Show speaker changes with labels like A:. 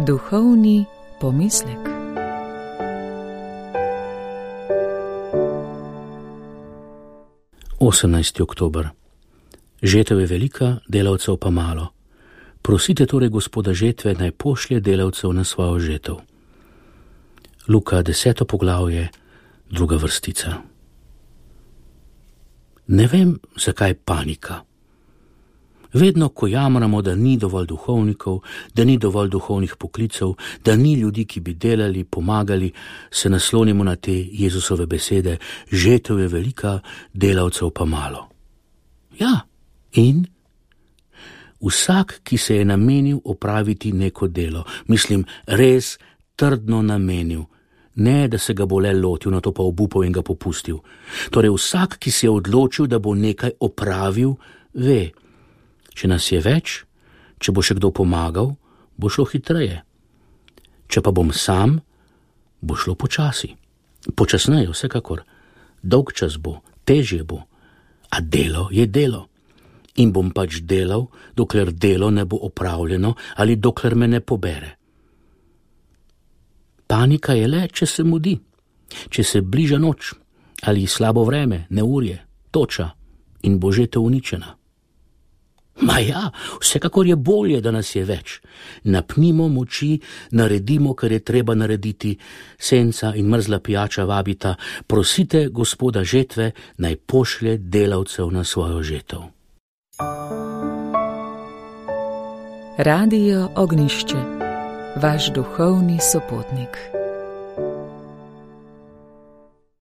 A: Duhovni pomislek.
B: Oktober. Žetev je velika, delavcev pa malo. Prosite torej Gospoda žetve, naj pošlje delavcev na svojo žetev. Luka 10. poglavje, 2. vrstica. Ne vem, zakaj panika. Vedno, ko jamramo, da ni dovolj duhovnikov, da ni dovolj duhovnih poklicev, da ni ljudi, ki bi delali, pomagali, se naslonimo na te Jezusove besede: žetev je velika, delavcev pa malo. Ja, in? Vsak, ki se je namenil opraviti neko delo, mislim, res trdno namenil, ne da se ga bo le lotil, na to pa obupal in ga popustil. Torej vsak, ki se je odločil, da bo nekaj opravil, ve, če nas je več, če bo še kdo pomagal, bo šlo hitreje. Če pa bom sam, bo šlo počasi. Počasneje, vsekakor. Dolg čas bo, težje bo. A delo je delo. In bom pač delal, dokler delo ne bo opravljeno ali dokler me ne pobere. Panika je le, če se mudi, če se bliža noč ali slabo vreme, neurje, toča in bo žetev uničena. Ma ja, vsekakor je bolje, da nas je več. Napnimo moči, naredimo, kar je treba narediti, senca in mrzla pijača vabita, prosite Gospoda žetve, naj pošlje delavcev na svojo žetev.
A: Radio Ognišče, vaš duhovni sopotnik.